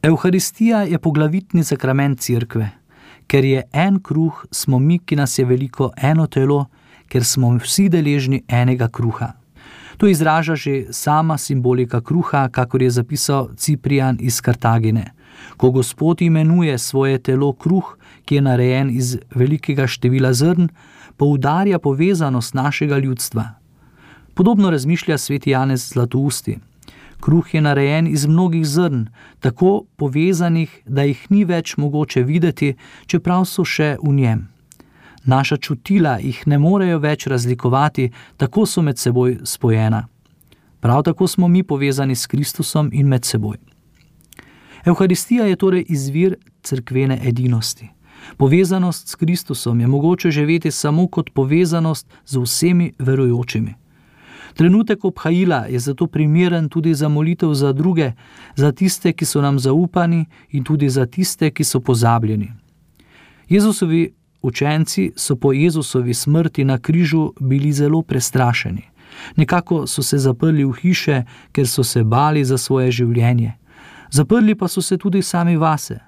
Evharistija je poglavitni sakrament cerkve. Ker je en kruh, smo mi, ki nas je veliko, eno telo, ker smo vsi deležni enega kruha. To izraža že sama simbolika kruha, kakor je zapisal Ciprian iz Kartagine. Ko Gospod imenuje svoje telo kruh, ki je narejen iz velikega števila zrn, poudarja povezanost našega ljudstva. Podobno razmišlja sveti Janez Zlatousti. Kruh je narejen iz mnogih zrn, tako povezanih, da jih ni več mogoče videti, čeprav so še v njem. Naša čutila jih ne morejo več razlikovati, tako so med seboj spojena. Prav tako smo mi povezani s Kristusom in med seboj. Evharistija je torej izvir cerkvene edinosti. Povezanost s Kristusom je mogoče živeti samo kot povezanost z vsemi verujočimi. Trenutek obhajila je zato primeren tudi za molitev za druge, za tiste, ki so nam zaupani in tudi za tiste, ki so pozabljeni. Jezusovi učenci so po Jezusovi smrti na križu bili zelo prestrašeni. Nekako so se zaprli v hiše, ker so se bali za svoje življenje. Zaprli pa so se tudi sami vase.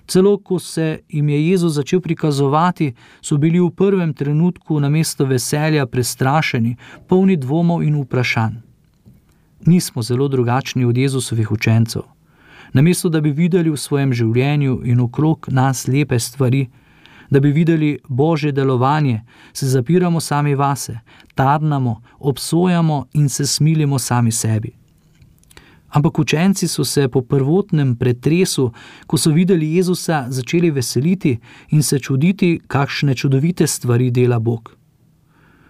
Celo ko se jim je Jezus začel prikazovati, so bili v prvem trenutku namesto veselja prestrašeni, polni dvomov in vprašanj. Nismo zelo drugačni od Jezusovih učencev. Namesto da bi videli v svojem življenju in okrog nas lepe stvari, da bi videli Božje delovanje, se zapiramo sami vase, tarnamo, obsojamo in se smilimo sami sebi. Ampak učenci so se po prvotnem pretresu, ko so videli Jezusa, začeli veseliti in se čuditi, kakšne čudovite stvari dela Bog.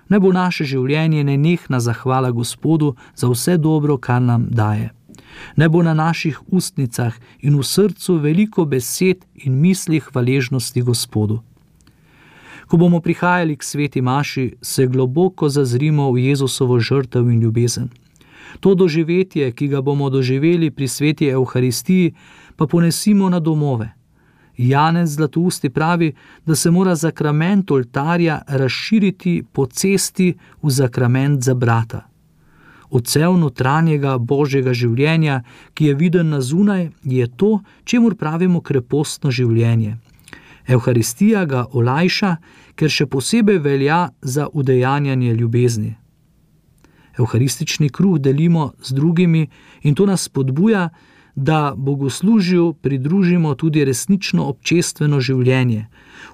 Naj bo naše življenje nenehna zahvala Gospodu za vse dobro, kar nam daje. Naj bo na naših ustnicah in v srcu veliko besed in misli hvaležnosti Gospodu. Ko bomo prihajali k sveti maši, se globoko zazrimo v Jezusovo žrtev in ljubezen. To doživetje, ki ga bomo doživeli pri sveti Evharistiji, pa ponesimo na domove. Janez Zlatousti pravi, da se mora sakrament oltarja razširiti po cesti v sakrament za brata. Odsev notranjega Božjega življenja, ki je viden na zunaj, je to, čemur pravimo krepostno življenje. Evharistija ga olajša, ker še posebej velja za udejanjanje ljubezni. Evharistični kruh delimo z drugimi in to nas spodbuja, da bogoslužju pridružimo tudi resnično občestveno življenje.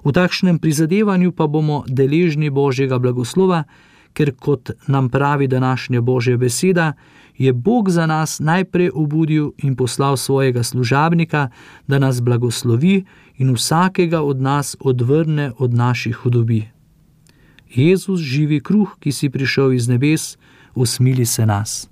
V takšnem prizadevanju pa bomo deležni Božjega blagoslova, ker kot nam pravi današnja Božja beseda, je Bog za nas najprej obudil in poslal svojega služabnika, da nas blagoslovi in vsakega od nas odvrne od naših hudobij. Jezus, živi kruh, ki si prišel iz nebes, usmili se nas.